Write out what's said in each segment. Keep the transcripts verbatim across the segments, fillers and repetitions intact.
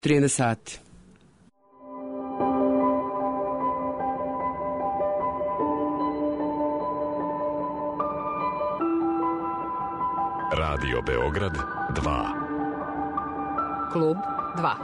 trinaest sati. Radio Beograd dva. Klub dva.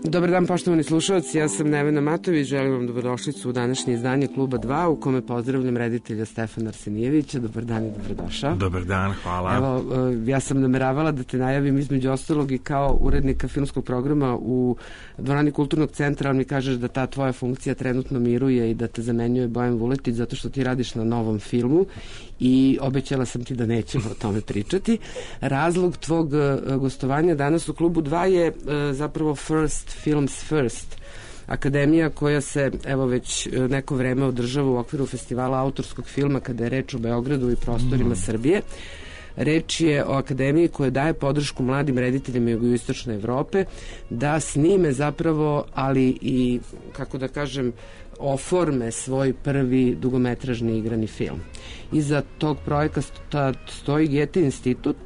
Dobar dan, poštovani slušalci, ja sam Nevena Matović, želim vam dobrodošlicu u današnje izdanje Kluba dva, u kome pozdravljam reditelja Stefana Arsenijevića. Dobar dan i dobrodošao. Dobar dan, hvala. Evo, ja sam nameravala da te najavim između ostalog i kao urednika filmskog programa u Dvorani Kulturnog centra, ali mi kažeš da ta tvoja funkcija trenutno miruje i da te zamenjuje Bojan Vuletić zato što ti radiš na novom filmu i obećala sam ti da nećemo o tome pričati. Razlog tvog gostovanja danas u Klubu dva je zapravo First Films First, akademija koja se evo već neko vreme održava u okviru festivala autorskog filma kada je reč o Beogradu i prostorima mm. Srbije. Reč je o akademiji koja daje podršku mladim rediteljima jugoistočne Evrope da snime zapravo, ali i, kako da kažem, oforme svoj prvi dugometražni igrani film. Iza tog projekta stoji Goethe institut.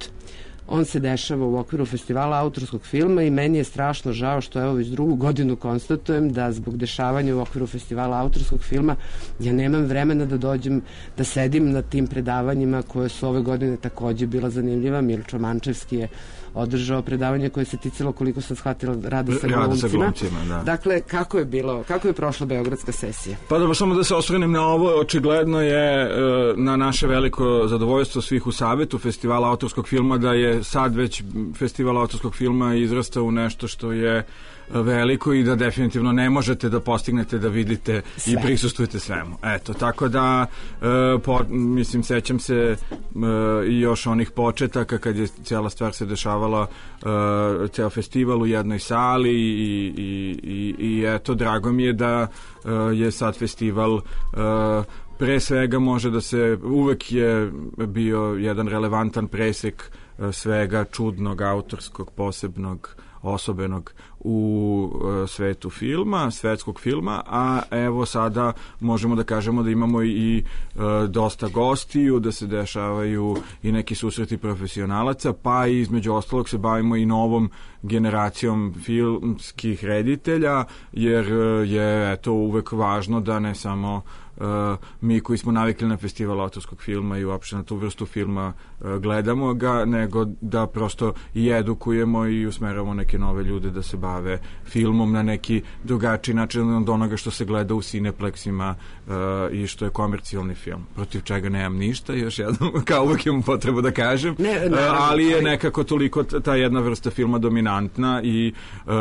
On se dešava u okviru festivala autorskog filma i meni je strašno žao što evo već drugu godinu konstatujem da zbog dešavanja u okviru festivala autorskog filma ja nemam vremena da dođem, da sedim na tim predavanjima koje su ove godine takođe bila zanimljiva. Milčo Mančevski je održao predavanje koje se ticalo, koliko sam shvatila, rada sa glumcima. Da. Dakle, kako je bilo, kako je prošla beogradska sesija? Pa dobro, samo da se osvrnem na ovo, očigledno je na naše veliko zadovoljstvo svih u Savetu festivala autorskog filma da je sad već festival autorskog filma izrastao u nešto što je veliko i da definitivno ne možete da postignete da vidite sve i prisustujete svemu. Eto, tako da e, po, mislim, sećam se e, i još onih početaka kad je cijela stvar se dešavala, e, ceo festival u jednoj sali i, i, i, i eto, drago mi je da e, je sad festival e, pre svega može da se, uvek je bio jedan relevantan presek svega čudnog, autorskog, posebnog, osobenog u uh, svetu filma, svetskog filma, a evo sada možemo da kažemo da imamo i uh, dosta gostiju, da se dešavaju i neki susreti profesionalaca, pa i između ostalog se bavimo i novom generacijom filmskih reditelja, jer uh, je eto uvek važno da ne samo Uh, mi koji smo navikli na festival autorskog filma i uopšte na tu vrstu filma uh, gledamo ga, nego da prosto i edukujemo i usmeravamo neke nove ljude da se bave filmom na neki drugačiji način od onoga što se gleda u Cineplexima uh, i što je komercijalni film, protiv čega nemam ništa, još jednom, kao uvek imam potrebu da kažem, ne, ne, uh, ali je nekako toliko ta jedna vrsta filma dominantna i uh,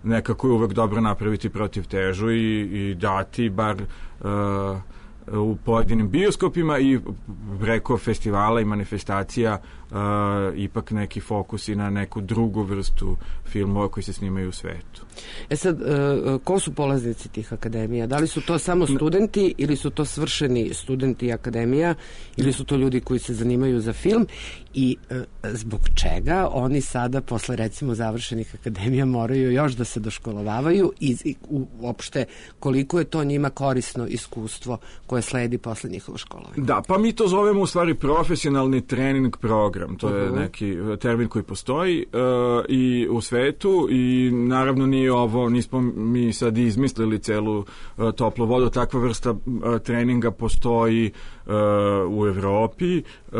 nekako je uvek dobro napraviti protiv težu i, i dati bar Uh, u pojedinim bioskopima i preko festivala i manifestacija uh, ipak neki fokus i na neku drugu vrstu filmova koji se snimaju u svetu. E sad, uh, ko su polaznici tih akademija? Da li su to samo studenti ili su to svršeni studenti akademija ili su to ljudi koji se zanimaju za film i uh, zbog čega oni sada posle recimo završenih akademija moraju još da se doškolovavaju i, i uopšte koliko je to njima korisno iskustvo koje sledi posle njihova školovanja? Da, pa mi to zovemo u stvari profesionalni trening program. To je uh-huh. neki termin koji postoji uh, i u svetu i naravno nije ovo, nismo mi sad izmislili celu uh, toplu vodu. Takva vrsta uh, treninga postoji uh, u Evropi. Uh,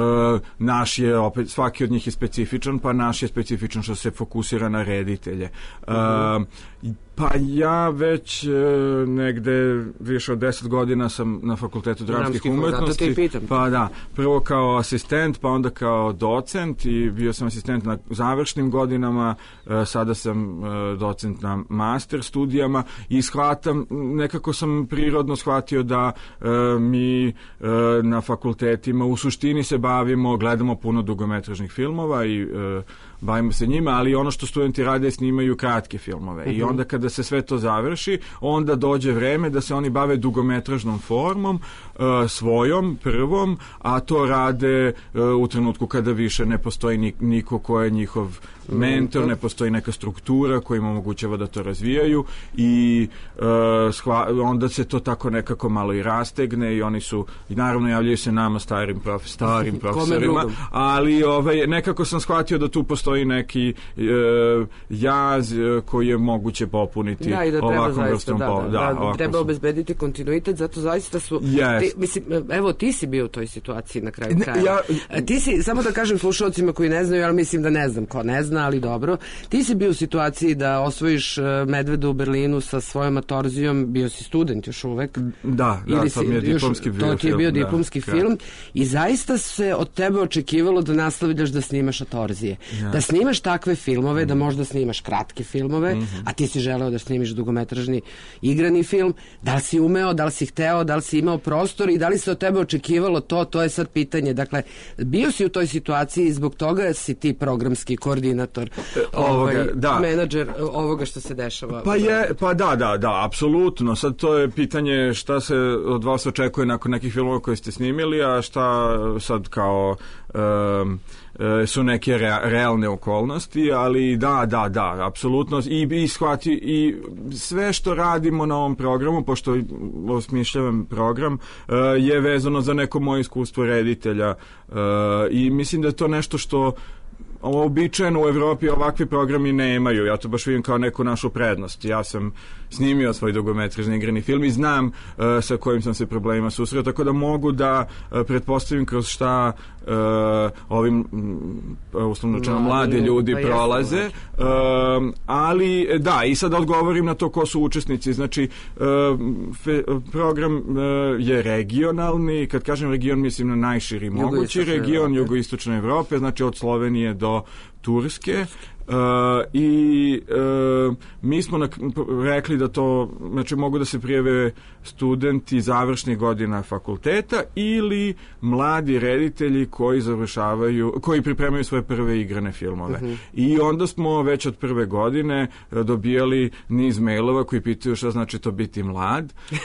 naš je opet, svaki od njih je specifičan, pa naš je specifičan što se fokusira na reditelje. Uh-huh. Uh, Pa ja već e, negde više od deset godina sam na Fakultetu dramskih umetnosti. Pa da, prvo kao asistent, pa onda kao docent i bio sam asistent na završnim godinama, e, sada sam e, docent na master studijama i shvatam, nekako sam prirodno shvatio da e, mi e, na fakultetima u suštini se bavimo, gledamo puno dugometražnih filmova i e, bavimo se njima, ali ono što studenti rade snimaju kratke filmove. Uh-huh. I onda kada se sve to završi, onda dođe vreme da se oni bave dugometražnom formom, uh, svojom, prvom, a to rade uh, u trenutku kada više ne postoji niko ko je njihov mentor, ne postoji neka struktura koja im omogućava da to razvijaju i uh, shva, onda se to tako nekako malo i rastegne i oni su, i naravno javljaju se nama starim, prof, starim profesorima, ali ovaj, nekako sam shvatio da tu postoji neki uh, jaz uh, koji je moguće popuniti da, i da ovakvom zaista, vrstom da, po, da, da, da, treba su... obezbediti kontinuitet, zato zaista su yes. ti, mislim, evo ti si bio u toj situaciji na kraju ne, kraja. Ja... Ti si, samo da kažem slušalcima koji ne znaju, ali mislim da ne znam ko ne zna, ali dobro, ti si bio u situaciji da osvojiš Medvedu u Berlinu sa svojom atorzijom, bio si student još uvek. Da, da, to mi je diplomski film. To ti je bio diplomski da, film i zaista se od tebe očekivalo da nastavljaš da snimaš atorzije. Ja. Da snimaš takve filmove, mm. da možda snimaš kratke filmove, mm-hmm. a ti si želeo da snimiš dugometražni igrani film. Da li si umeo, da li si hteo, da li si imao prostor i da li se od tebe očekivalo to, to je sad pitanje. Dakle, bio si u toj situaciji i zbog toga si ti programski koordinator, ovoga, ovaj, da. menadžer ovoga što se dešava. Pa je, pa da, da, da, apsolutno. Sad to je pitanje šta se od vas očekuje nakon nekih filmova koje ste snimili, a šta sad kao um, su neke rea, realne okolnosti, ali da, da, da, apsolutno i, i shvati i sve što radimo na ovom programu, pošto osmišljavam program, uh, je vezano za neko moje iskustvo reditelja uh, i mislim da je to nešto što ovo običajno u Evropi ovakvi programi nemaju. Ja to baš vidim kao neku našu prednost. Ja sam snimio svoj dugometražni igrani film i znam uh, sa kojim sam se problemima susreo, tako da mogu da uh, pretpostavim kroz šta uh, ovim uh, uslovno čeno mladi ljudi pa prolaze. Uh, ali da, i sad odgovorim na to ko su učesnici. Znači, uh, fe, program uh, je regionalni. Kad kažem region, mislim na najširi mogući region jugoistočne Evrope, znači od Slovenije do Turske. Uh, i uh, mi smo na, rekli da to, znači mogu da se prijave studenti završnih godina fakulteta ili mladi reditelji koji završavaju, koji pripremaju svoje prve igrane filmove. Uh-huh. I onda smo već od prve godine dobijali niz mailova koji pitaju šta znači to biti mlad. uh,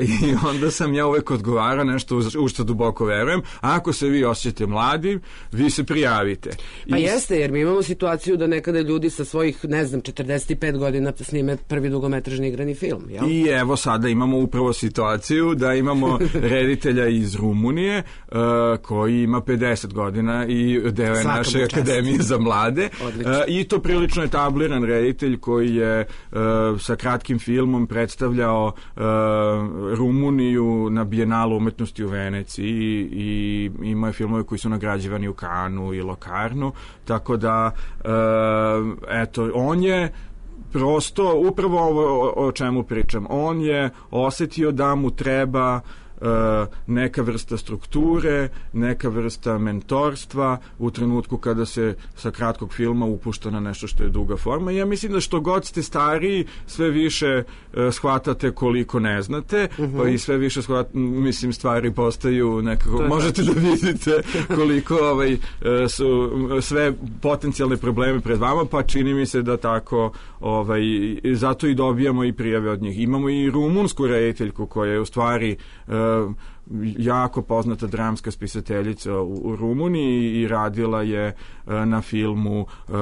I onda sam ja uvek odgovarao nešto u što duboko verujem. Ako se vi osjećate mladi, vi se prijavite. Pa I... jeste, jer mi imamo situaciju da nekada ljudi sa svojih, ne znam, četrdeset pet godina snime prvi dugometražni igrani film, jel? I evo sada imamo upravo situaciju da imamo reditelja iz Rumunije uh, koji ima pedeset godina i deo je naše akademije za mlade. Uh, I to prilično etabliran reditelj koji je uh, sa kratkim filmom predstavljao uh, Rumuniju na Bijenalu umetnosti u Veneciji i, i ima je filmove koji su nagrađivani u Kanu i Lokarnu, tako da uh, eto, on je prosto, upravo ovo o, o čemu pričam, on je osetio da mu treba uh, neka vrsta strukture, neka vrsta mentorstva u trenutku kada se sa kratkog filma upušta na nešto što je duga forma. I ja mislim da što god ste stariji, sve više uh, shvatate koliko ne znate, uh-huh. pa i sve više shvat, mislim, stvari postaju nekako, možete da vidite koliko ovaj, uh, su sve potencijalne probleme pred vama, pa čini mi se da tako ovaj, zato i dobijamo i prijave od njih. Imamo i rumunsku rediteljku koja je u stvari uh, jako poznata dramska spisateljica u, u Rumuniji i radila je uh, na filmu uh,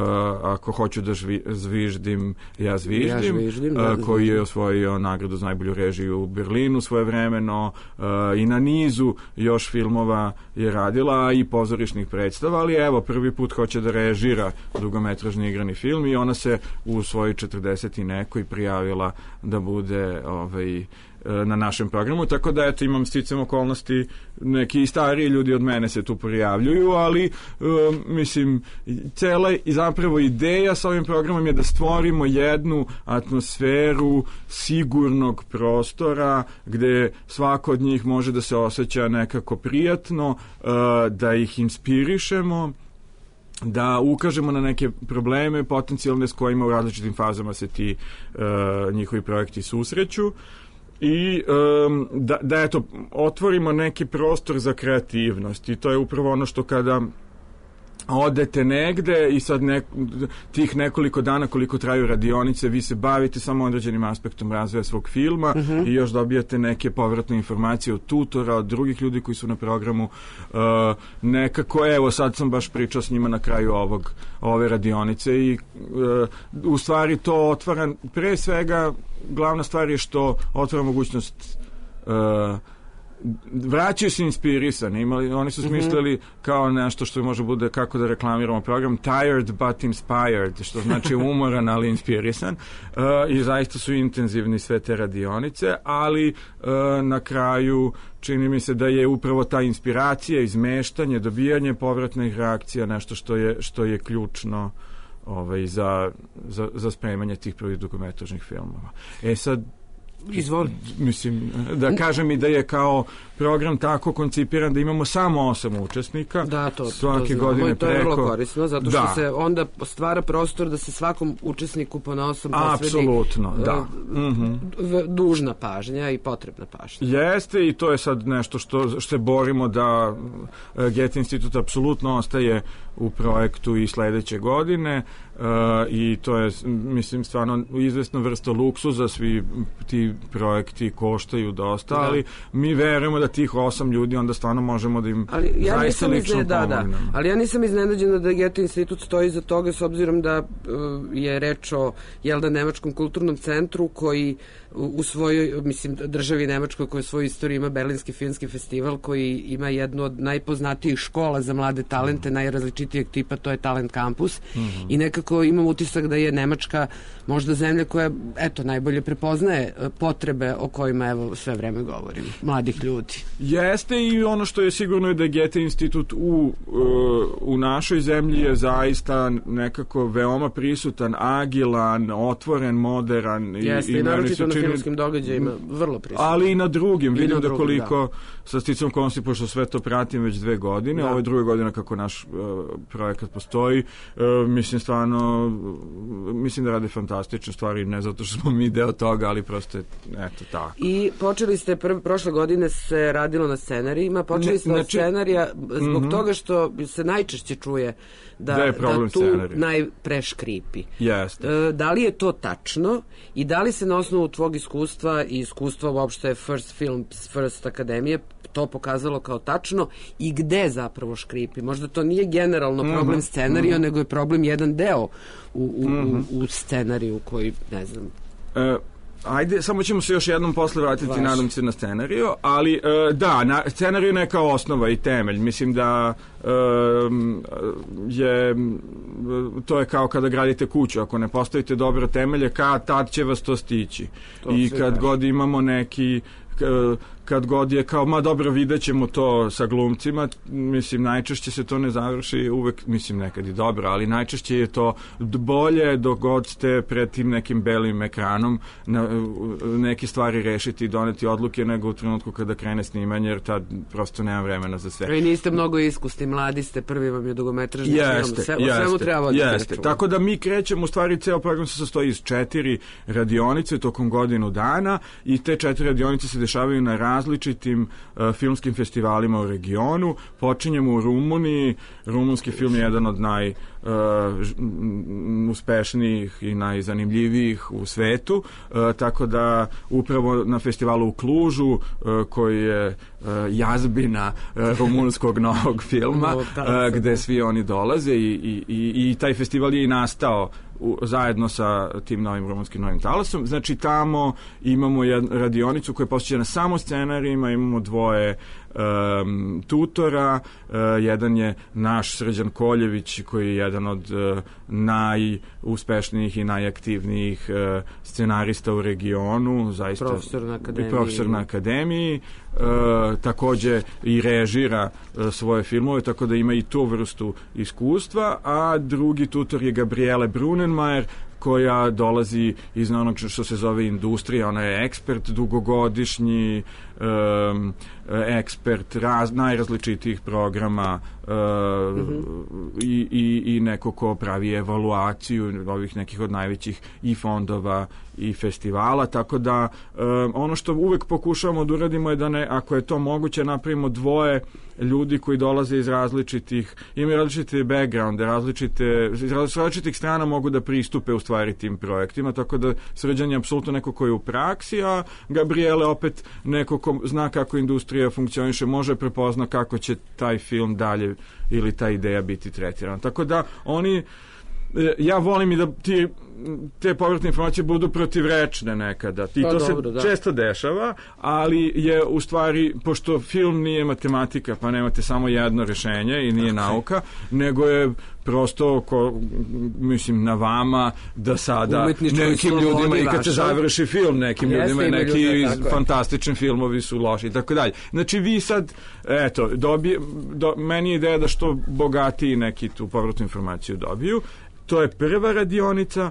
Ako hoću da žvi, zviždim, ja zviždim, ja žviždim da, uh, koji je osvojio nagradu za najbolju režiju u Berlinu svojevremeno uh, i na nizu još filmova je radila i pozorišnih predstava, ali evo prvi put hoće da režira dugometražni igrani film i ona se u svojoj četrdeset i nekoj prijavila da bude ovaj na našem programu, tako da eto imam sticam okolnosti, neki stariji ljudi od mene se tu prijavljuju, ali um, mislim, cela i zapravo ideja sa ovim programom je da stvorimo jednu atmosferu sigurnog prostora gde svako od njih može da se osjeća nekako prijatno, uh, da ih inspirišemo, da ukažemo na neke probleme potencijalne s kojima u različitim fazama se ti uh, njihovi projekti susreću. I um, da, da eto, otvorimo neki prostor za kreativnost i to je upravo ono što kada odete negde i sad nek, tih nekoliko dana koliko traju radionice vi se bavite samo određenim aspektom razvoja svog filma uh-huh. i još dobijate neke povratne informacije od tutora, od drugih ljudi koji su na programu uh, nekako, evo sad sam baš pričao s njima na kraju ovog, ove radionice i uh, u stvari to otvara, pre svega glavna stvar je što otvara mogućnost uh, vraćaju se inspirisani, imali, oni su smislili mm-hmm. kao nešto što može bude kako da reklamiramo program, tired but inspired, što znači umoran ali inspirisan uh, i zaista su intenzivni sve te radionice, ali uh, na kraju čini mi se da je upravo ta inspiracija, izmeštanje, dobijanje povratnih reakcija nešto što je, što je ključno ovaj, za, za, za spremanje tih prvih dokumentarnih filmova. E sad Izvoli. Mislim, da kažem i da je kao program tako koncipiran da imamo samo osam učesnika. Da, to, svake to godine to je preko. vrlo korisno, zato što da. se onda stvara prostor da se svakom učesniku ponaosom posvedi apsolutno, da. Uh, mm-hmm. dužna pažnja i potrebna pažnja. Jeste i to je sad nešto što, što se borimo da uh, Goethe institut apsolutno ostaje u projektu i sledeće godine uh, i to je, mislim, stvarno izvesna vrsta luksuza, svi ti projekti koštaju dosta, da. Ali mi verujemo da tih osam ljudi onda stvarno možemo da im ali ja zaista lično da, pomognemo. Da. Ali ja nisam iznenađena da Goethe institut stoji iza toga s obzirom da uh, je reč o jel da Nemačkom kulturnom centru koji u svojoj, mislim, državi Nemačkoj koja svoju istoriju ima Berlinski filmski festival koji ima jednu od najpoznatijih škola za mlade talente, mm. najrazličitijeg tipa, to je Talent Campus mm-hmm. i nekako imam utisak da je Nemačka možda zemlja koja, eto, najbolje prepoznaje potrebe o kojima evo sve vreme govorim, mladih ljudi. Jeste i ono što je sigurno je da je Goethe institut u, u našoj zemlji je zaista nekako veoma prisutan, agilan, otvoren, modern. Jeste i, i naročito na filmskim događajima vrlo prisutan. Ali i na drugim, I vidim na da drugim, koliko da. Sa sticom okolnosti, pošto sve to pratim već dve godine, da. Ovo je druga godina kako naš uh, projekat postoji, uh, mislim stvarno uh, mislim da rade fantastične stvari, ne zato što smo mi deo toga, ali prosto je, eto, tako. I počeli ste, prv, prošle godine se radilo na scenarijima, počeli ne, ste znači, od scenarija zbog mm-hmm. toga što se najčešće čuje da, da, da tu scenarij. Najpre škripi. Jeste. Uh, da li je to tačno i da li se na osnovu tvog iskustva i iskustva uopšte First Films, First Akademije to pokazalo kao tačno i gde zapravo škripi? Možda to nije generalno problem mm-hmm. scenarija, mm-hmm. nego je problem jedan deo u, u, mm-hmm. u, u scenariju koji, ne znam... Uh, Ajde, samo ćemo se još jednom posle vratiti, Vaš. nadam se, na scenariju, ali uh, da, na, scenariju je neka osnova i temelj. Mislim da uh, je to je kao kada gradite kuću, ako ne postavite dobro temelje, kad tad će vas to stići. To I kad daži. god imamo neki kad god je kao, ma dobro, vidjet ćemo to sa glumcima, mislim, najčešće se to ne završi uvek, mislim, nekad i dobro, ali najčešće je to bolje dok god ste pred tim nekim belim ekranom na, neke stvari rešiti i doneti odluke nego u trenutku kada krene snimanje, jer tad prosto nema vremena za sve. I niste mnogo iskusni, mladi ste, prvi vam je dugometražni film, sve, o svemu treba voditi računa. Tako da mi krećemo, u stvari ceo program se sastoji iz četiri radionice tokom godinu dana i te četiri radionice se dešavaju na različitim uh, filmskim festivalima u regionu. Počinjemo u Rumuniji. Rumunski film je jedan od naj uh, uspešnijih i najzanimljivijih u svetu, uh, tako da upravo na festivalu u Klužu, uh, koji je uh, jazbina uh, rumunskog novog filma, uh, gde svi oni dolaze i, i, i, i taj festival je i nastao U, zajedno sa tim novim rumunskim novim talasom. Znači tamo imamo jednu radionicu koja je posvećena samo scenarijima, imamo dvoje um, tutora, uh, jedan je naš Srđan Koljević koji je jedan od uh, najuspešnijih i najaktivnijih uh, scenarista u regionu, zaista profesor na akademiji, profesor na akademiji. Uh, takođe i režira uh, svoje filmove, tako da ima i tu vrstu iskustva, a drugi tutor je Gabriele Brunenmajer koja dolazi iz onog što se zove industrija, ona je ekspert dugogodišnji, um, ekspert raz, najrazličitijih programa uh, mm-hmm. i, i, i neko ko pravi evaluaciju ovih nekih od najvećih i fondova i festivala, tako da um, ono što uvek pokušavamo da uradimo je da ne, ako je to moguće, napravimo dvoje ljudi koji dolaze iz različitih, imaju različite backgrounde, različite, iz različitih strana mogu da pristupe u stvari tim projektima, tako da Srđan je apsolutno neko koji je u praksi, a Gabriele opet neko ko zna kako industrija funkcioniše, može prepozna kako će taj film dalje ili ta ideja biti tretirana. Tako da oni, ja volim i da ti te povratne informacije budu protivrečne nekada. I pa, to dobro, se da. često dešava, ali je u stvari, pošto film nije matematika, pa nemate samo jedno rešenje i nije okay. nauka, nego je prosto ko, mislim na vama da sada umetnički nekim ljudima i kad se završi film nekim Jeste, ljudima i neki ljudi, fantastični filmovi su loši i tako dalje. Znači vi sad eto, dobije, do, meni je ideja da što bogatiji neki tu povratnu informaciju dobiju. To je prva radionica.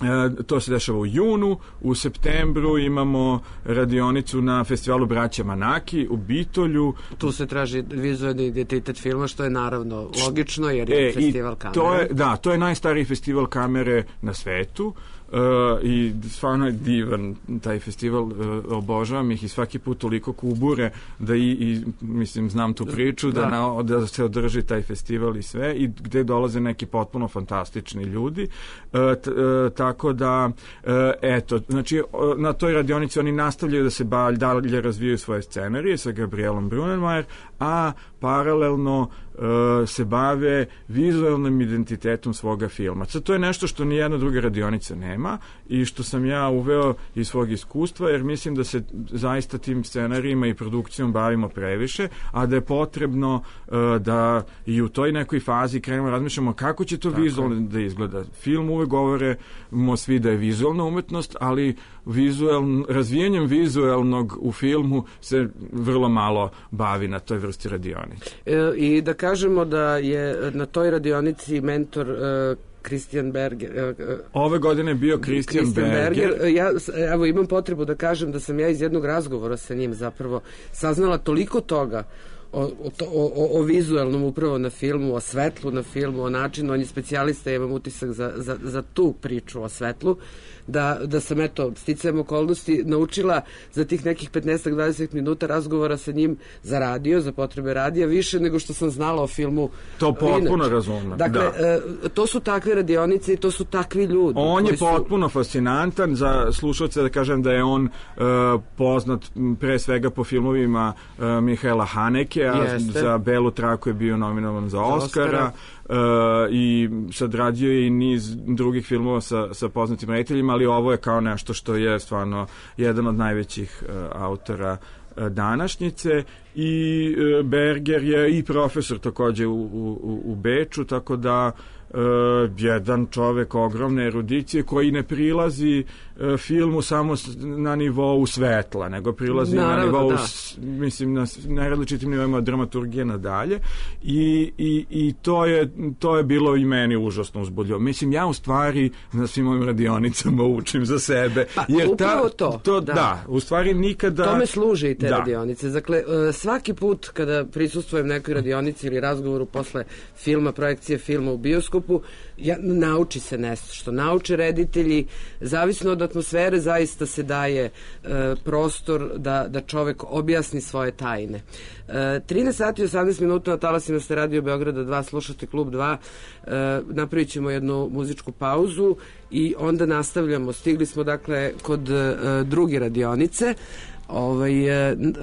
E, to se dešava u junu, u septembru imamo radionicu na festivalu Braća Manaki u Bitolju. Tu se traži vizualni identitet filma, što je naravno logično jer je e, festival kamere. To je, da, to je najstariji festival kamere na svetu. Uh, i stvarno je divan taj festival, uh, obožavam ih i svaki put toliko kubure da i, i mislim znam tu priču da, da. Na, da se održi taj festival i sve i gde dolaze neki potpuno fantastični ljudi uh, t, uh, tako da uh, eto, znači uh, na toj radionici oni nastavljaju da se balj, dalje razvijaju svoje scenarije sa Gabrielom Brunenmajer, a paralelno uh, se bave vizualnim identitetom svoga filma. Sad, to je nešto što nijedna druga radionica nema i što sam ja uveo iz svog iskustva, jer mislim da se zaista tim scenarijima i produkcijom bavimo previše, a da je potrebno uh, da i u toj nekoj fazi krenemo razmišljamo kako će to Tako. vizualno da izgleda. Film uvek govorimo svi da je vizualna umetnost, ali vizualn, razvijanjem vizualnog u filmu se vrlo malo bavi na toj vrsti radionice. E, I da kažemo da je na toj radionici mentor uh, Christian Berger. Ove godine je bio Christian, Christian Berger. Berger. Ja evo imam potrebu da kažem da sam ja iz jednog razgovora sa njim zapravo saznala toliko toga o, o, o, o vizualnom upravo na filmu, o svetlu na filmu, o načinu, on je specijalista, ja imam utisak za, za, za tu priču o svetlu, da, da sam eto, sticajem okolnosti naučila za tih nekih petnaest do dvadeset minuta razgovora sa njim za radio, za potrebe radija, više nego što sam znala o filmu. To potpuno razumno. Dakle, da. e, to su takve radionice i to su takvi ljudi. On je su... potpuno fascinantan, za slušalce da kažem da je on e, poznat pre svega po filmovima e, Mihaela Haneke, a za Belu traku je bio nominovan za Oscara. Oscara. Uh, i sad radio je i niz drugih filmova sa, sa poznatim rediteljima, ali ovo je kao nešto što je stvarno jedan od najvećih uh, autora uh, današnjice i uh, Berger je i profesor takođe u, u, u Beču, tako da Uh, jedan čovek ogromne erudicije koji ne prilazi uh, filmu samo na nivou svetla, nego prilazi Naravno, na nivou da. s, mislim na najrazličitim nivoima dramaturgije nadalje i, i, i to je to je bilo i meni užasno uzbudljivo. Mislim, ja u stvari na svim ovim radionicama učim za sebe. Pa, jer upravo ta, to. to da. da, u stvari nikada... Tome služe i te da. radionice. Dakle, svaki put kada prisustvujem nekoj radionici ili razgovoru posle filma, projekcije filma u bioskopu, ja, nauči se nešto, što nauče reditelji, zavisno od atmosfere zaista se daje e, prostor da, da čovek objasni svoje tajne. E, trinaest sati i osamnaest minuta na talasima ste Radio Beograda dva, slušate Klub dva, e, napravit ćemo jednu muzičku pauzu i onda nastavljamo. Stigli smo dakle kod e, druge radionice. Ovaj,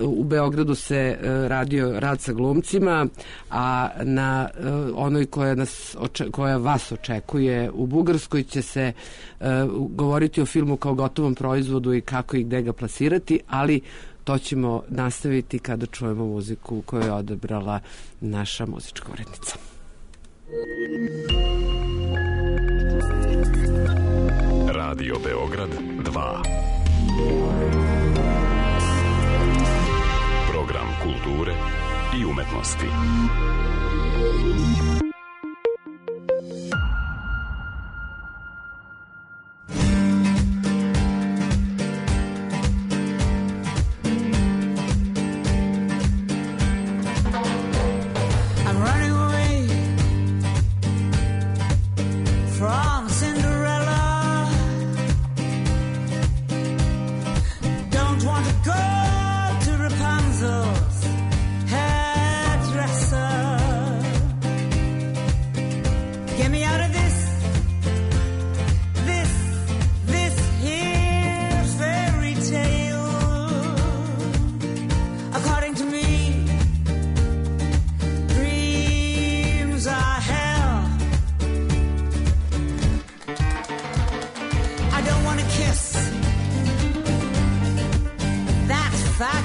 u Beogradu se radio rad sa glumcima, a na onoj koja, nas, koja vas očekuje u Bugarskoj će se uh, govoriti o filmu kao gotovom proizvodu i kako i gde ga plasirati, ali to ćemo nastaviti kada čujemo muziku koju je odabrala naša muzička urednica. Radio Beograd dva. Program kulture i umetnosti.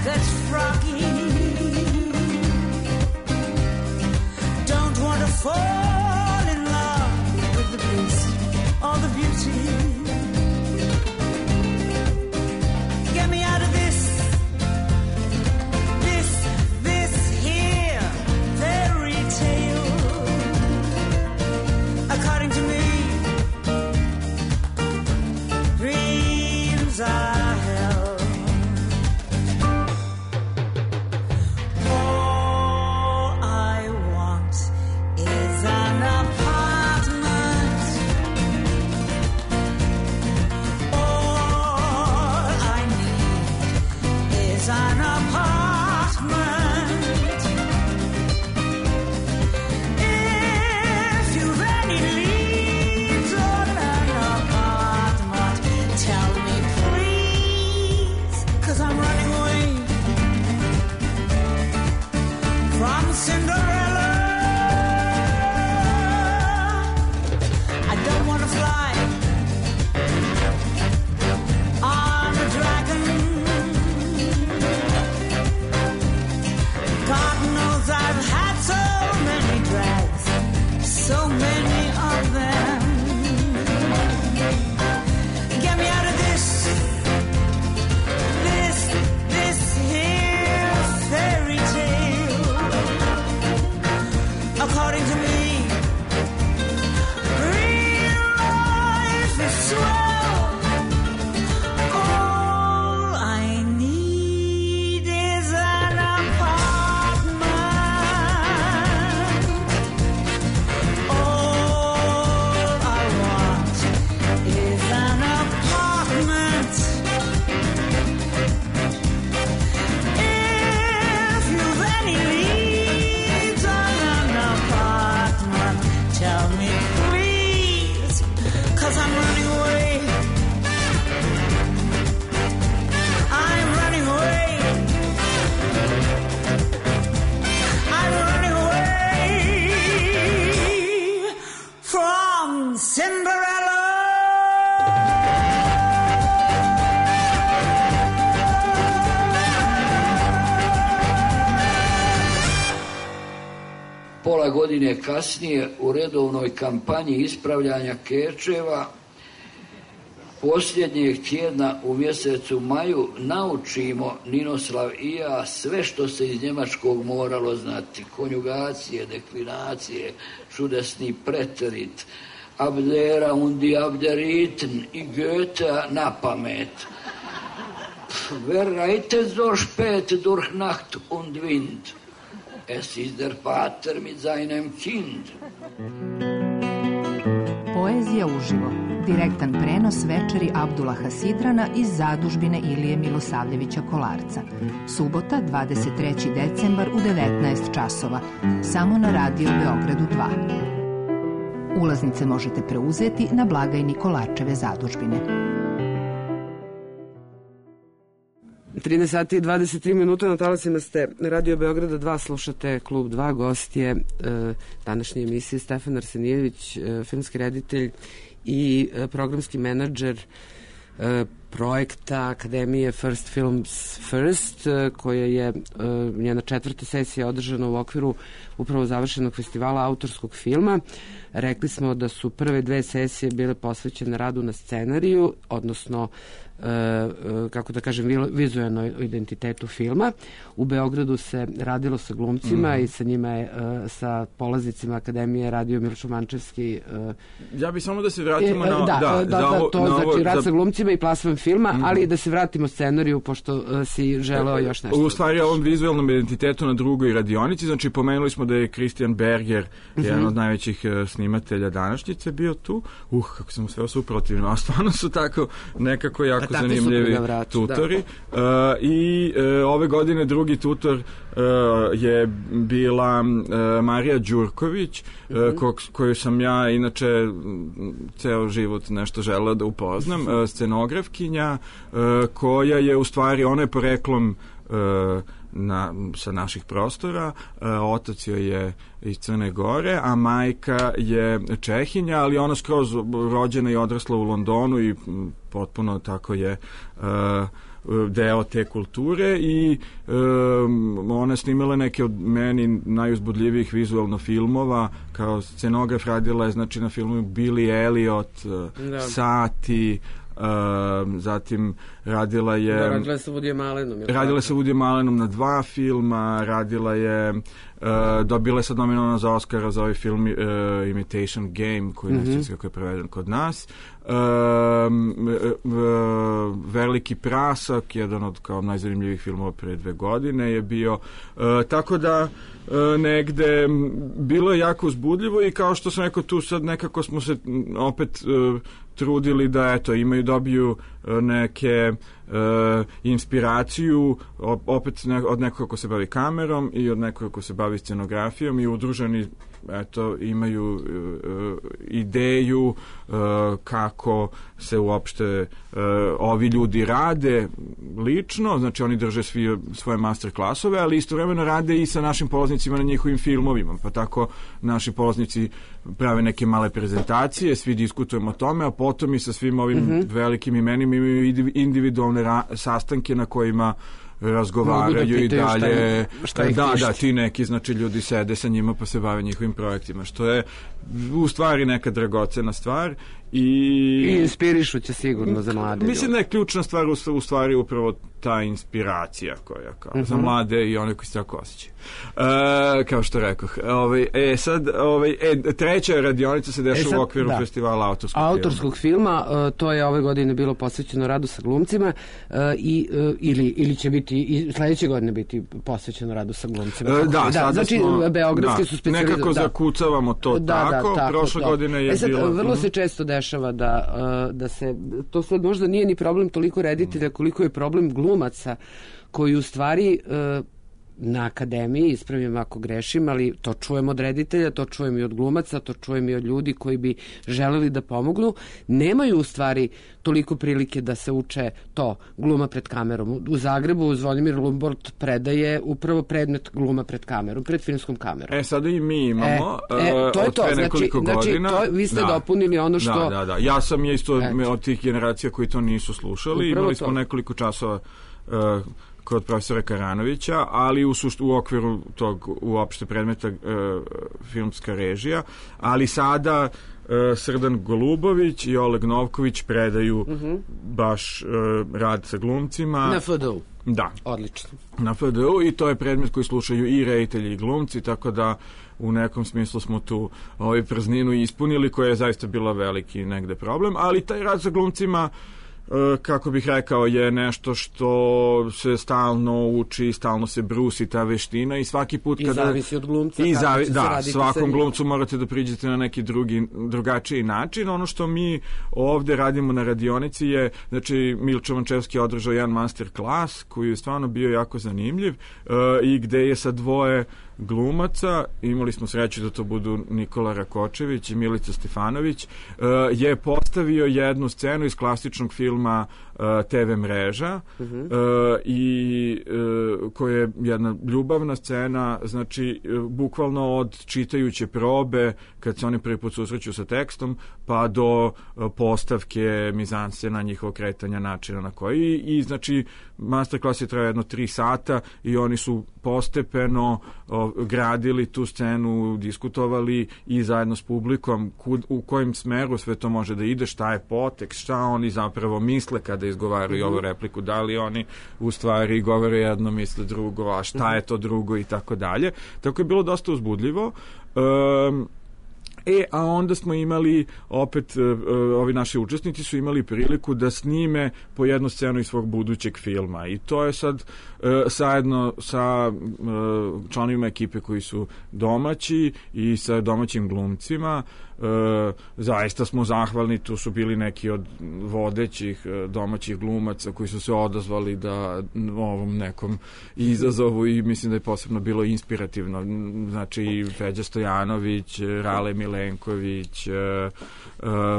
that's froggy. Don't want to fall in love with the bliss or the beauty. Get me out of this, this, this here fairy tale. According to me, dreams are hell. All I want is an apartment. All I need is an apartment. If you've any leads on an apartment, tell me please, 'cause I'm running away from Cinderella. I don't want to fly on a dragon. God knows I've had so many drags, so many of them. Get me out of this, this, this here fairy tale. According to me, real life is swell. All I need is an apartment. All I want is an apartment. If you've any leads on an apartment, tell me please, 'cause I'm running away. I'm running away. I'm running away from Cinderella. Pola godine kasnije u redovnoj kampanji ispravljanja kečeva posljednjeg tjedna u mjesecu maju naučimo Ninoslav i ja sve što se iz njemačkog moralo znati. Konjugacije, deklinacije, čudesni preterit, Abdera und die Abderiten i Goethe na pamet. Wer reitet so spät durch Nacht und Wind? Es ist der Vater mit seinem Kind. Poezija uživo. Direktan prenos večeri Abdullaha Sidrana iz zadužbine Ilije Milosavljevića Kolarca. Subota, dvadeset treći decembar u devetnaest časova. Samo na Radio Beogradu dva. Ulaznice možete preuzeti na blagajni Kolarčeve zadužbine. trinaest sati i dvadeset tri minuta, na talasima ste Radio Beograda dva, slušate Klub dva, gost je e, današnje emisije Stefan Arsenijević, e, filmski reditelj i e, programski menadžer e, projekta Akademije First Films First, e, koja je e, njena četvrta sesija održana u okviru upravo završenog festivala autorskog filma. Rekli smo da su prve dve sesije bile posvećene radu na scenariju, odnosno kako da kažem, vizualnom identitetu filma. U Beogradu se radilo sa glumcima mm. i sa njima je, sa polaznicima Akademije radio Miloš Mančevski. Ja bih samo da se vratimo e, na... Da, da, da, da, da to na znači ovo, rad za... sa glumcima i plasman filma, mm. ali da se vratimo scenariju, pošto uh, si želeo još nešto. U stvari, ovom vizualnom identitetu na drugoj radionici, znači pomenuli smo da je Christian Berger, mm-hmm. jedan od najvećih uh, snimatelja današnjice, bio tu. Uh, kako sam sve suprotivno, a stvarno su tako nekako jako a zanimljivi tutori. Uh, I uh, ove godine drugi tutor uh, je bila uh, Marija Đurković, mm-hmm. uh, ko, koju sam ja inače ceo život nešto želeo da upoznam, uh, scenografkinja uh, koja je u stvari, ona je poreklom uh, na, sa naših prostora. Otac joj je iz Crne Gore, a majka je Čehinja, ali ona skroz rođena i odrasla u Londonu i potpuno tako je deo te kulture i um, ona je snimala neke od meni najuzbudljivijih vizualno filmova, kao scenograf radila je znači na filmu Billy Elliot, da. Sati, Uh, zatim radila je da, radila je sa Woodyjem Allenom radila je sa Woodyjem Allenom na dva filma, radila je uh, dobila je sad nominovana za Oscara za ovaj film uh, Imitation Game koji mm-hmm. ne znam kako je preveden kod nas. Uh, uh, Veliki prasak, jedan od kao najzanimljivijih filmova pre dve godine je bio, uh, tako da uh, negde bilo je jako uzbudljivo i kao što sam rekao tu sad nekako smo se opet uh, trudili da eto imaju dobiju neke uh, inspiraciju opet ne, od nekoga ko se bavi kamerom i od nekoga ko se bavi scenografijom i udruženi eto imaju uh, ideju uh, kako se uopšte uh, ovi ljudi rade lično, znači oni drže svi svoje master klasove, ali istovremeno rade i sa našim polaznicima na njihovim filmovima, pa tako naši polaznici prave neke male prezentacije, svi diskutujemo o tome, a potom i sa svim ovim mm-hmm. velikim imenima imaju individualne ra- sastanke na kojima razgovaraju da i dalje šta je, šta da, da, ti neki znači ljudi sede sa njima pa se bave njihovim projektima, što je u stvari neka dragocena stvar i, I inspirišuće sigurno za mlade mislim ljudi. da je ključna stvar u, u stvari upravo ta inspiracija koja kao uh-huh. za mlade i one koji se tako osjećaju. E, kao što rekoh. Ovaj, e, sad, ovaj, e, treća radionica se dešava e sad, u okviru da. festivala autorskog, autorskog filma. filma. Uh, to je ove godine bilo posvećeno radu sa glumcima uh, i, uh, ili, ili će biti i sledeće godine biti posvećeno radu sa glumcima. E, da, da, znači, smo, beogradski da, su specijalizovani. nekako da. zakucavamo to da, tako. Da, tako. Prošle da. godine je e sad, bilo... Vrlo mm. se često dešava da, uh, da se... To sad možda nije ni problem toliko reditelja koliko je problem glumaca koji u stvari... Uh, na akademiji, ispravim ako grešim, ali to čujem od reditelja, to čujem i od glumaca, to čujem i od ljudi koji bi želeli da pomognu, nemaju u stvari toliko prilike da se uče to, gluma pred kamerom. U Zagrebu Zvonimir Lumbort predaje upravo predmet gluma pred kamerom, pred filmskom kamerom. E, sada i mi imamo e, e, to je od to, znači, znači to, vi ste da. dopunili ono što... Da, da, da. Ja sam je isto et. od tih generacija koji to nisu slušali, upravo imali smo to. nekoliko časova uh, kod profesora Karanovića, ali u, sušt, u okviru tog uopšte predmeta e, filmska režija, ali sada e, Srdan Golubović i Oleg Novković predaju uh-huh. baš e, rad sa glumcima. Na F D U. Da. Odlično. Na F D U i to je predmet koji slušaju i reditelji i glumci, tako da u nekom smislu smo tu ovaj prazninu ispunili, koja je zaista bila veliki negde problem, ali taj rad sa glumcima kako bih rekao, je nešto što se stalno uči, stalno se brusi ta veština i svaki put kada... I zavisi od glumca. I zavi, da, svakom glumcu morate da priđete na neki drugi, drugačiji način. Ono što mi ovde radimo na radionici je, znači, Milčo Vančevski je održao jedan master klas koji je stvarno bio jako zanimljiv uh, i gde je sa dvoje glumaca, imali smo sreću da to budu Nikola Rakočević i Milica Stefanović, uh, je postavio jednu scenu iz klasičnog filma uh, te ve mreža uh-huh. uh, i uh, koja je jedna ljubavna scena, znači uh, bukvalno od čitajuće probe kad se oni prvi put susreću sa tekstom pa do uh, postavke mizanscena, njihovog kretanja, načina na koji i, i znači masterclass je trajao jedno tri sata i oni su postepeno o, gradili tu scenu, diskutovali i zajedno s publikom kud, u kojim smeru sve to može da ide, šta je potekst, šta oni zapravo misle kada izgovaraju mm-hmm. ovu repliku, da li oni u stvari govore jedno, misle drugo, a šta je to drugo i tako dalje. Tako je bilo dosta uzbudljivo. Um, E, a onda smo imali, opet, uh, ovi naši učesnici su imali priliku da snime po jednu scenu iz svog budućeg filma. I to je sad uh, zajedno sa uh, članovima ekipe koji su domaći i sa domaćim glumcima. e, zaista smo zahvalni, tu su bili neki od vodećih e, domaćih glumaca koji su se odazvali da ovom nekom izazovu i mislim da je posebno bilo inspirativno. Znači Feđa Stojanović, Rale Milenković, e, e,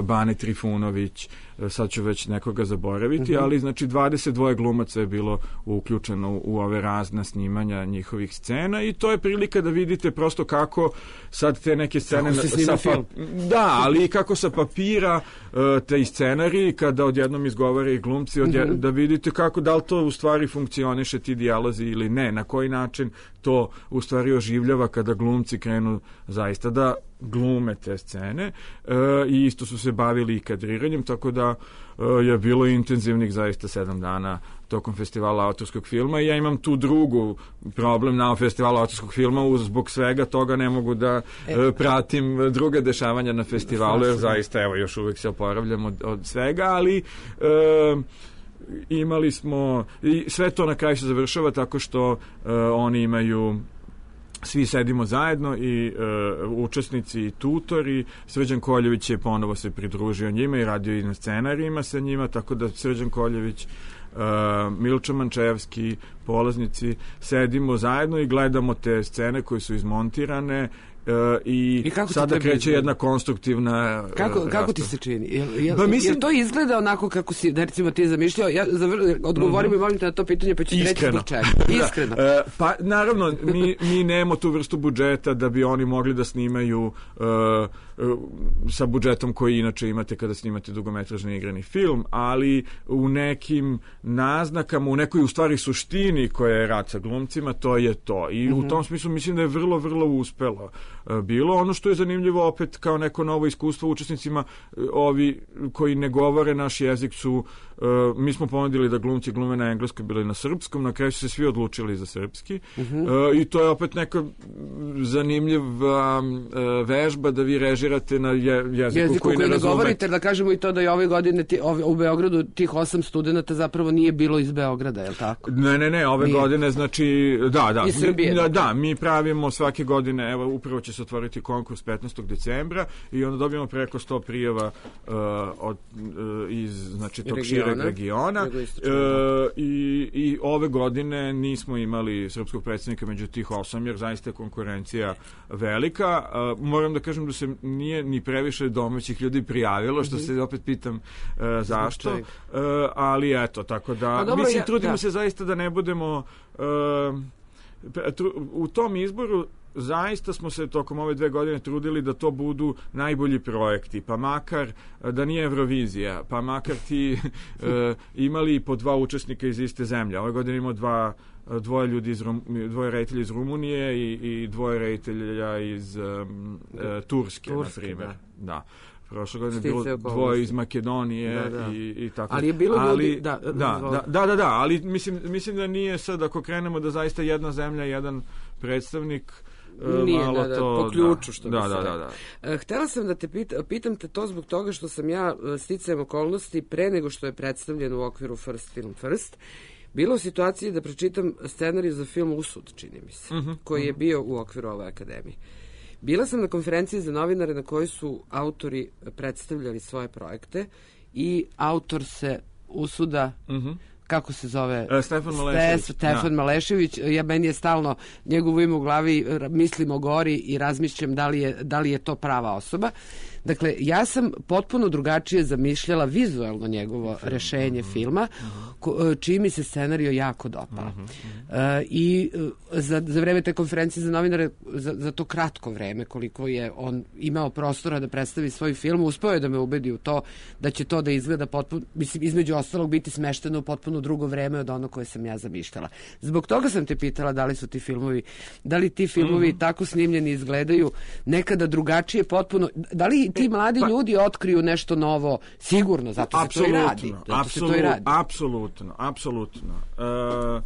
Bane Trifunović, sad ću već nekoga zaboraviti, mm-hmm. ali znači dvadeset dva glumaca je bilo uključeno u, u ove razne snimanja njihovih scena i to je prilika da vidite prosto kako sad te neke scene sa pa, da, ali kako sa papira uh, te scenariji kada odjednom izgovore i glumci odjed, mm-hmm. da vidite kako da li to u stvari funkcioniše ti dijalozi ili ne, na koji način to u stvari oživljava kada glumci krenu zaista da glume te scene e, i isto su se bavili i kadriranjem, tako da e, je bilo intenzivnih zaista sedam dana tokom festivala autorskog filma i ja imam tu drugu problem na festivalu autorskog filma, uz zbog svega toga ne mogu da e, pratim druga dešavanja na festivalu, jer zaista evo još uvijek se oporavljam od, od svega, ali e, imali smo i sve to na kraju se završava tako što e, oni imaju svi sedimo zajedno i e, učesnici i tutori. Srđan Koljević je ponovo se pridružio njima i radio i na scenarijima sa njima, tako da Srđan Koljević, Uh, Milča Mančevski, polaznici, sedimo zajedno i gledamo te scene koje su izmontirane uh, i, I sada kreće jedna konstruktivna uh, kako, kako ti se čini? Jel, jel, ba, mislim, jel to izgleda onako kako si, da recimo ti je zamišljao? Ja zavr, odgovorim mm-hmm. i molim te na to pitanje, pa ću ti reći zbog čega. Iskreno. Da. Uh, pa naravno, mi, mi nemamo tu vrstu budžeta da bi oni mogli da snimaju uh, sa budžetom koji inače imate kada snimate dugometražni igrani film, ali u nekim naznakama, u nekoj u stvari suštini koja je rad sa glumcima, to je to. I mm-hmm. u tom smislu mislim da je vrlo, vrlo uspelo bilo. Ono što je zanimljivo opet kao neko novo iskustvo učesnicima, ovi koji ne govore naš jezik su, mi smo ponudili da glumci glume na engleskom, bili na srpskom, na kraju su se svi odlučili za srpski mm-hmm. i to je opet neka zanimljiva vežba da vi režirate na je, jeziku, jeziku koji, koji ne, ne govorite, da kažemo i to da je ove godine ti, ove, u Beogradu tih osam studenta zapravo nije bilo iz Beograda, je li tako? Ne, ne, ne, ove nije. godine znači, da, da, Srbije, mi, da, da, mi pravimo svake godine, evo, upravo će se otvoriti konkurs petnaestog decembra i onda dobijemo preko sto prijava uh, od, uh, iz, znači, tog šireg regiona uh, i, i ove godine nismo imali srpskog predstavnika među tih osam, jer zaista je konkurencija velika. Uh, moram da kažem da se nije ni previše domaćih ljudi prijavilo, što se opet pitam uh, zašto, uh, ali eto, tako da, pa dobro, mislim, trudimo ja, da. se zaista da ne budemo uh, tru, u tom izboru zaista smo se tokom ove dve godine trudili da to budu najbolji projekti, pa makar da nije Eurovizija, pa makar ti uh, imali po dva učesnika iz iste zemlje. Ove godine imamo dva dvoje ljudi iz Rum, dvoje reditelja iz Rumunije i, i dvoje reditelja iz um, uh, Turske, Turske, na primjer. Da. da. Prošle godine je bilo dvoje iz Makedonije da, da. I, i tako. Ali je bilo ali, ljudi... Da da, da, da, da, da, ali mislim, mislim da nije sad, ako krenemo da zaista jedna zemlja, jedan predstavnik, nije, malo da, da, to, po ključu, što da, bi se da, da, da, da. Htela sam da te pita, pitam te to zbog toga što sam ja sticajem okolnosti pre nego što je predstavljen u okviru First Film First, bilo u situaciji da pročitam scenarij za film Usud, čini mi se, uh-huh, koji uh-huh. je bio u okviru ove akademije. Bila sam na konferenciji za novinare na kojoj su autori predstavljali svoje projekte i autor se Usuda, uh-huh. kako se zove? Uh, Stefan Malešević. Stefan ja. Malešević. Ja, meni je stalno njegovo ime u glavi, mislim o gori i razmišljam da li je, da li je to prava osoba. Dakle, ja sam potpuno drugačije zamišljala vizualno njegovo film. rešenje uh-huh. filma, ko, čiji mi se scenario jako dopao. Uh-huh. Uh, I uh, za, za vreme te konferencije za novinare, za, za to kratko vreme, koliko je on imao prostora da predstavi svoj film, uspeo je da me ubedi u to da će to da izgleda potpuno, mislim, između ostalog biti smešteno u potpuno drugo vreme od ono koje sam ja zamišljala. Zbog toga sam te pitala da li su ti filmovi, da li ti filmovi uh-huh. tako snimljeni izgledaju nekada drugačije potpuno, da li ti mladi pa, ljudi otkriju nešto novo, sigurno, zato se to i radi. Zato se to i radi. Apsolutno, apsolutno. Uh,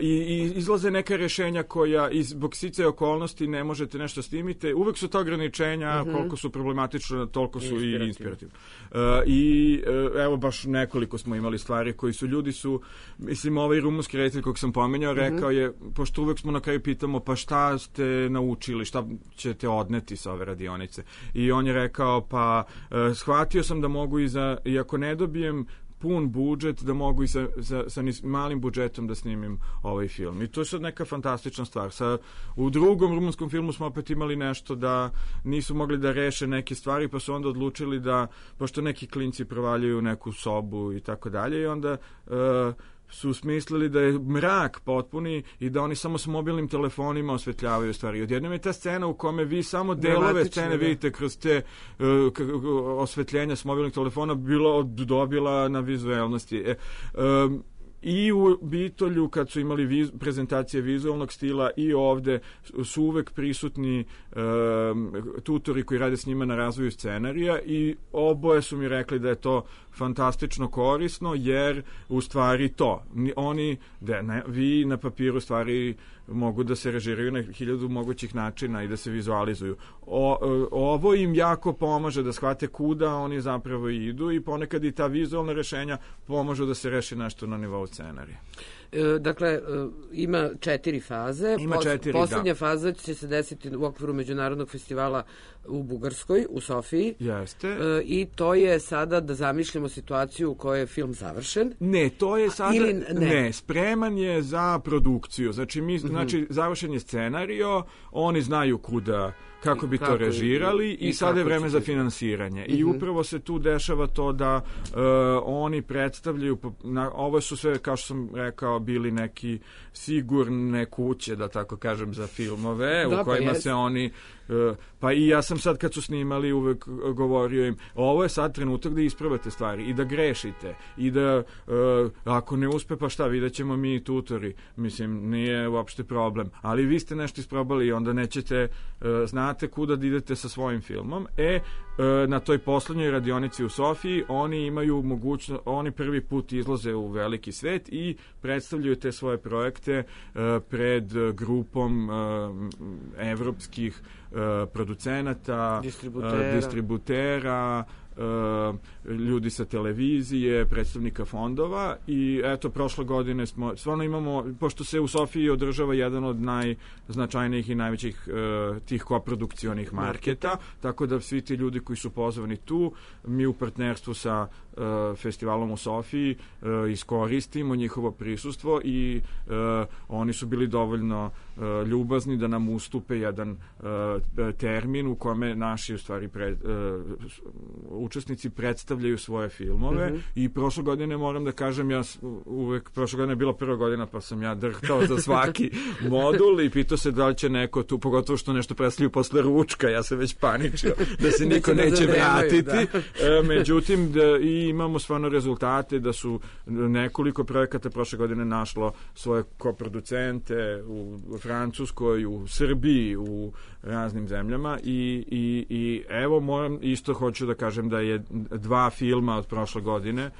i, i izlaze neka rešenja koja iz zbog sticaja okolnosti ne možete nešto snimite. Uvek su ta ograničenja, mm-hmm. koliko su problematične, toliko su i inspirativne. Uh, I uh, evo baš nekoliko smo imali stvari koji su ljudi su, mislim, ovaj rumunski reditelj kog sam pomenjao, mm-hmm. rekao je, pošto uvek smo na kraju pitamo, pa šta ste naučili, šta ćete odneti sa ove radionice? I on je rekao, pa uh, shvatio sam da mogu i za, i ako ne dobijem pun budžet, da mogu i sa, sa, sa malim budžetom da snimim ovaj film. I to je sad neka fantastična stvar. Sa, u drugom rumunskom filmu smo opet imali nešto da nisu mogli da reše neke stvari, pa su onda odlučili da, pošto neki klinci provaljuju u neku sobu i tako dalje, i onda uh, su smislili da je mrak potpuni i da oni samo s mobilnim telefonima osvetljavaju stvari. Odjednom je ta scena u kome vi samo delove scene vidite kroz te uh, osvetljenja s mobilnih telefona bilo dobila na vizualnosti. E, um, I u Bitolju, kad su imali viz, prezentacije vizualnog stila, i ovde su uvek prisutni e, tutori koji rade s njima na razvoju scenarija, i oboje su mi rekli da je to fantastično korisno, jer u stvari to, oni, da, ne, vi na papiru stvari mogu da se režiraju na hiljadu mogućih načina i da se vizualizuju. O, ovo im jako pomaže da shvate kuda oni zapravo idu, i ponekad i ta vizualna rešenja pomažu da se reši nešto na nivou scenarija. E, dakle, ima četiri faze. Ima četiri, Poslednja da. faza će se desiti u okviru Međunarodnog festivala u Bugarskoj, u Sofiji. Jeste. E, I to je sada da zamišljamo situaciju u kojoj je film završen. Ne, to je sada... Ili ne. ne, spreman je za produkciju. Znači, mi, mm-hmm. znači završen je scenario, oni znaju kuda, kako bi kako to režirali, i, i, i sada je vreme za finansiranje. Mm-hmm. I upravo se tu dešava to da uh, oni predstavljaju, na, ovo su sve, kao što sam rekao, bili neki sigurne kuće, da tako kažem, za filmove, da, u kojima pa se oni... Uh, pa i ja sam sad, kad su snimali, uvek govorio im, ovo je sad trenutak da ispravate stvari i da grešite, i da uh, ako ne uspe, pa šta, vidjet ćemo mi tutori, mislim, nije uopšte problem, ali vi ste nešto isprobali i onda nećete, uh, znate kuda da idete sa svojim filmom. E, uh, na toj poslednjoj radionici u Sofiji oni imaju mogućnost, oni prvi put izlaze u veliki svet i predstavljaju te svoje projekte uh, pred grupom uh, evropskih uh, producenata, distributera, uh, distributera uh, ljudi sa televizije, predstavnika fondova, i eto, prošle godine smo, stvarno imamo, pošto se u Sofiji održava jedan od najznačajnijih i najvećih uh, tih koprodukcionih marketa, tako da svi ti ljudi koji su pozvani tu, mi u partnerstvu sa uh, festivalom u Sofiji uh, iskoristimo njihovo prisustvo, i uh, oni su bili dovoljno uh, ljubazni da nam ustupe jedan uh, termin u kome naši, u stvari, pre, uh, učesnici predstavljaju svoje filmove. Mm-hmm. I prošle godine, moram da kažem, ja uvek, prošle godine je bila prva godina, pa sam ja drhtao za svaki modul i pitao se da li će neko tu, pogotovo što nešto predstavljaju posle ručka, ja se već paničio da se niko neće vratiti. Da. E, međutim, da, i imamo stvarno rezultate da su nekoliko projekata prošle godine našlo svoje koproducente u, u Francuskoj, u Srbiji, u raznim zemljama, i, i, i evo, moram, isto hoću da kažem da je dva filma od prošle godine,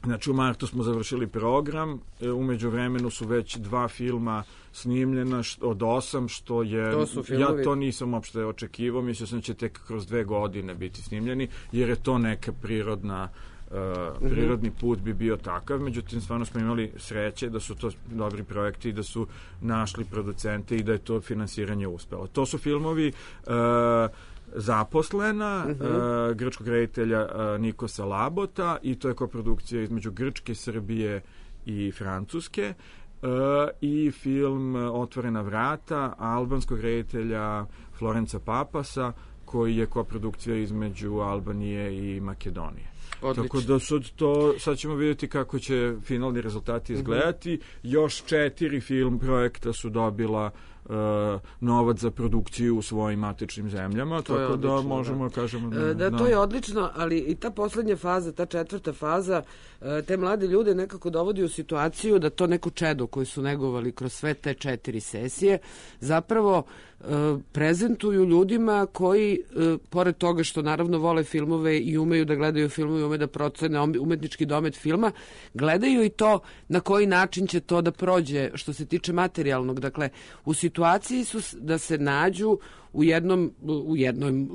znači u martu smo završili program, umeđu vremenu su već dva filma snimljena od osam, što je, to ja to nisam uopšte očekivao, mislio sam da će tek kroz dve godine biti snimljeni, jer je to neka prirodna Uh, prirodni put bi bio takav, međutim stvarno smo imali sreće da su to dobri projekti i da su našli producente i da je to finansiranje uspelo. To su filmovi uh, Zaposlena, uh-huh. uh, grčkog reditelja uh, Nikosa Labota, i to je koprodukcija između Grčke, Srbije i Francuske, uh, i film Otvorena vrata albanskog reditelja Florenca Papasa, koji je koprodukcija između Albanije i Makedonije. Odlično. Tako da sad, to, sad ćemo vidjeti kako će finalni rezultati izgledati. Mm-hmm. Još četiri film projekta su dobila novac za produkciju u svojim matičnim zemljama, To je tako da odlično, možemo da. kažemo E, Da, to je odlično, ali i ta poslednja faza, ta četvrta faza, e, te mlade ljude nekako dovodi u situaciju da to neko čedo koji su negovali kroz sve te četiri sesije zapravo e, prezentuju ljudima koji, e, pored toga što naravno vole filmove i umeju da gledaju filmove i umeju da procene umetnički domet filma, gledaju i to na koji način će to da prođe što se tiče materijalnog. Dakle, u situaciji su s- da se nađu u jednom, u jednom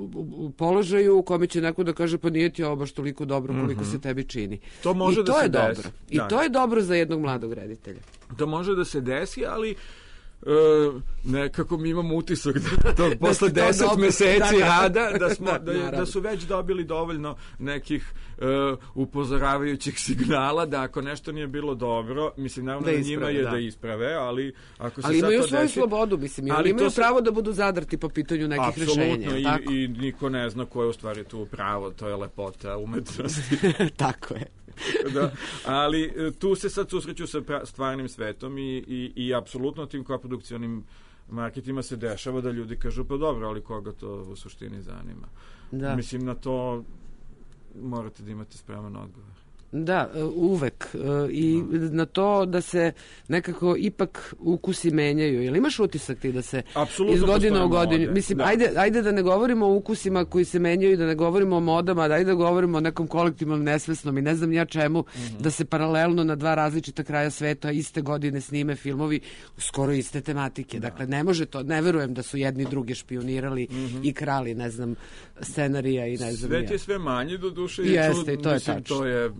položaju u kome će neko da kaže pa nije ti ovo baš toliko dobro koliko se tebi čini. To može I da to se je desi. dobro. I Da. to je dobro za jednog mladog reditelja. To može da se desi, ali e, nekako mi imamo utisak da to posle to deset dobro. meseci Da, da. rada da, smo, Da, da, je- naravno. da su već dobili dovoljno nekih e, upozoravajućih signala da ako nešto nije bilo dobro, mislim naravno Da da isprave, njima je da. da isprave, ali ako se Ali sad imaju to svoju desi, slobodu, mislim, i ali oni imaju to se- pravo da budu zadrti po pitanju nekih rešenja. apsolutno jel tako? i, i niko ne zna ko je u stvari tu pravo, to je lepota umetnosti. Tako je. Da, ali e, tu se sad susreću sa pra- stvarnim svetom i, i, i apsolutno tim koprodukcionim marketima se dešava da ljudi kažu pa dobro, ali koga to u suštini zanima. Da. Mislim, na to morate da imate spreman odgovor. Da, e, uvek. E, I na to da se nekako ipak ukusi menjaju. Jel imaš utisak ti da se Apsolutno iz godine postoje u godinu... mode, Mislim, da. ajde, ajde da ne govorimo o ukusima koji se menjaju, da ne govorimo o modama, da ajde da govorimo o nekom kolektivnom nesvesnom i ne znam ja čemu, Mhm. da se paralelno na dva različita kraja sveta iste godine snime filmovi skoro iste tematike. Dakle, ne može to, ne verujem da su jedni drugi špionirali i krali, ne znam, scenarija i ne znam Mhm. Svet ja. je sve manji do duše Jeste, i to je mislim, tačno. to je e,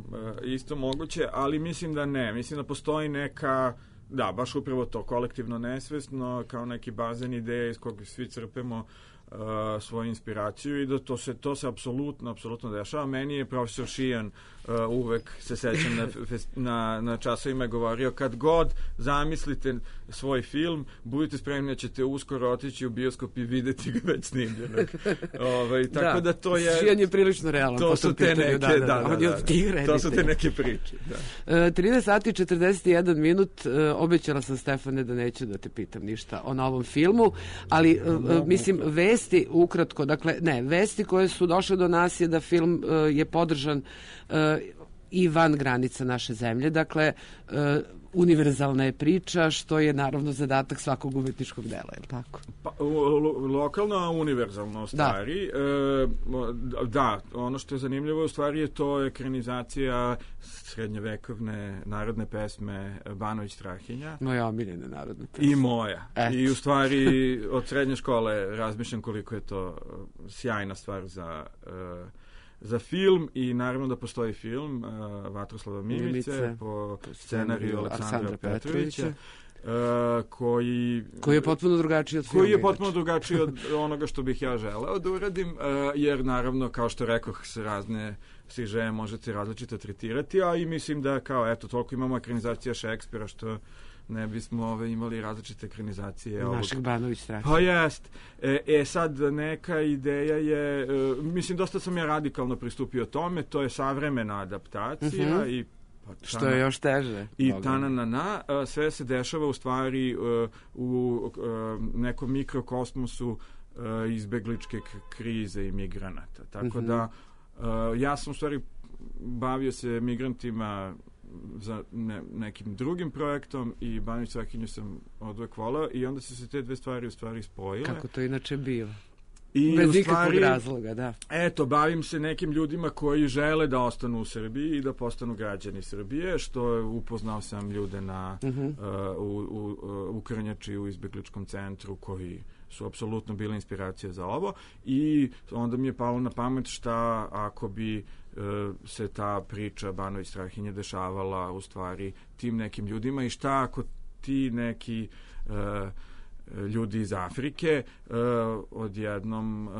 isto moguće, ali mislim da ne. Mislim da postoji neka, da, baš upravo to, kolektivno nesvesno, kao neki bazen ideje iz kog svi crpemo uh, svoju inspiraciju i da to se, to se apsolutno, apsolutno dešava. Meni je profesor Šijan uh, uvek, se sećam, na, fes- na, na časovima je govorio, kad god zamislite svoj film, budite spremni da ćete uskoro otići u bioskop i videti ga već snimljenog. Ovaj, tako da, to je... Šijan je prilično realan. To po su tom te pitanju, neke, da, da, On je da, od tih da. To su te reditelja. neke priče, da. E, trinaest sati i četrdeset jedan minut, e, obećala sam Stefane da neću da te pitam ništa o novom filmu, ali e, e, mislim vesti ukratko, dakle ne, vesti koje su došle do nas je da film e, je podržan e, i van granica naše zemlje, dakle e, univerzalna je priča, što je naravno zadatak svakog umetničkog dela, je li tako? Pa, lo- lokalno, a univerzalno u stvari. E, da, ono što je zanimljivo u stvari je to ekranizacija srednjevekovne narodne pesme Banović Strahinja. Moja omiljena narodna pesma. I moja. Eto. I u stvari od srednje škole razmišljam koliko je to uh, sjajna stvar za, uh, za film i naravno da postoji film uh, Vatroslava Mimice, Mimice, po po scenariju scenariju Aleksandra Aleksandra Petrovića, Petrovića. uh, koji Koji je potpuno drugačiji od filma. koji je inače. potpuno drugačiji od onoga što bih ja želeo da uradim, uh, jer naravno, kao što rekoh, se razne sižeje možete različito tretirati, a i mislim da kao, eto, toliko imamo ekranizacija Šekspira, što ne bismo ove, imali različite ekranizacije. ovog- Našeg Banović Strahinja. Pa jest. E, e sad, neka ideja je, e, mislim, dosta sam ja radikalno pristupio tome, to je savremena adaptacija Mhm. i pa, Što je još teže. i Boga. tananana, a, sve se dešava u stvari e, u e, nekom mikrokosmosu e, izbegličke k- krize i migranata. Tako Mhm. da e, ja sam u stvari bavio se migrantima za ne, nekim drugim projektom i Banović Strahinju sam odvek volao i onda su se te dve stvari u stvari spojile. Kako to inače biva. I Bez u ikakvog stvari, razloga, da. eto, bavim se nekim ljudima koji žele da ostanu u Srbiji i da postanu građani Srbije, što je, upoznao sam ljude na, Mhm. uh, u, u, uh, u Krnjači, u izbegličkom centru, koji su apsolutno bile inspiracija za ovo i onda mi je palo na pamet šta ako bi uh, se ta priča Banović Strahinje dešavala u stvari tim nekim ljudima i šta ako ti neki uh, ljudi iz Afrike uh, odjednom uh,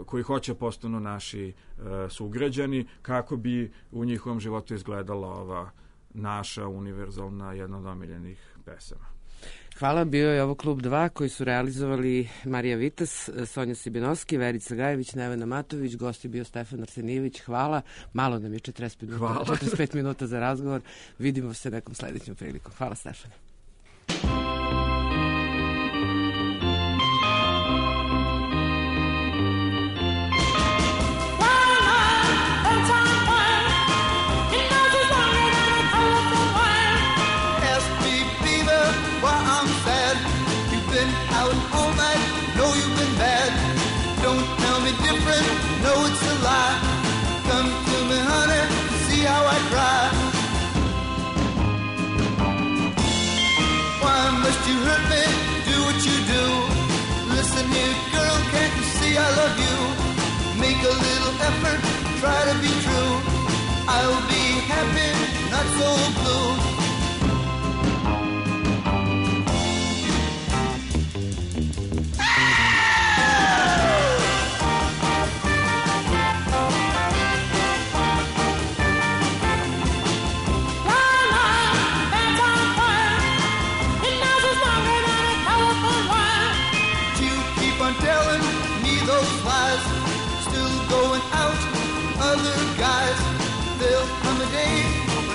koji hoće postanu naši uh, sugrađani, kako bi u njihovom životu izgledala ova naša univerzalna jedna od omiljenih pesama. Hvala, bio je ovo Klub dva koji su realizovali Marija Vitas, Sonja Sibinovski, Verica Gajević, Nevena Matović, gost je bio Stefan Arsenijević. Hvala, malo nam je četrdeset pet minuta, Hvala. četrdeset pet minuta za razgovor. Vidimo se nekom sledećom prilikom. Hvala, Stefane. to hurt me, do what you do. Listen here, girl, can't you see I love you? Make a little effort, try to be true. I'll be happy, not so blue.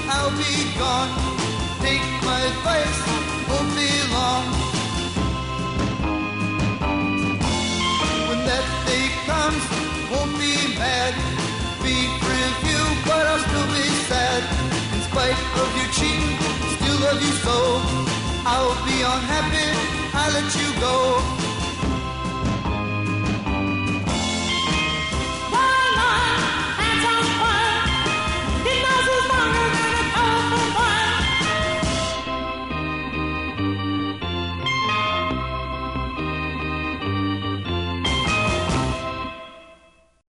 I'll be gone. Take my advice, won't be long. When that day comes, won't be mad. Be free of you, but I'll still be sad. In spite of your cheating, still love you so. I'll be unhappy, I let you go.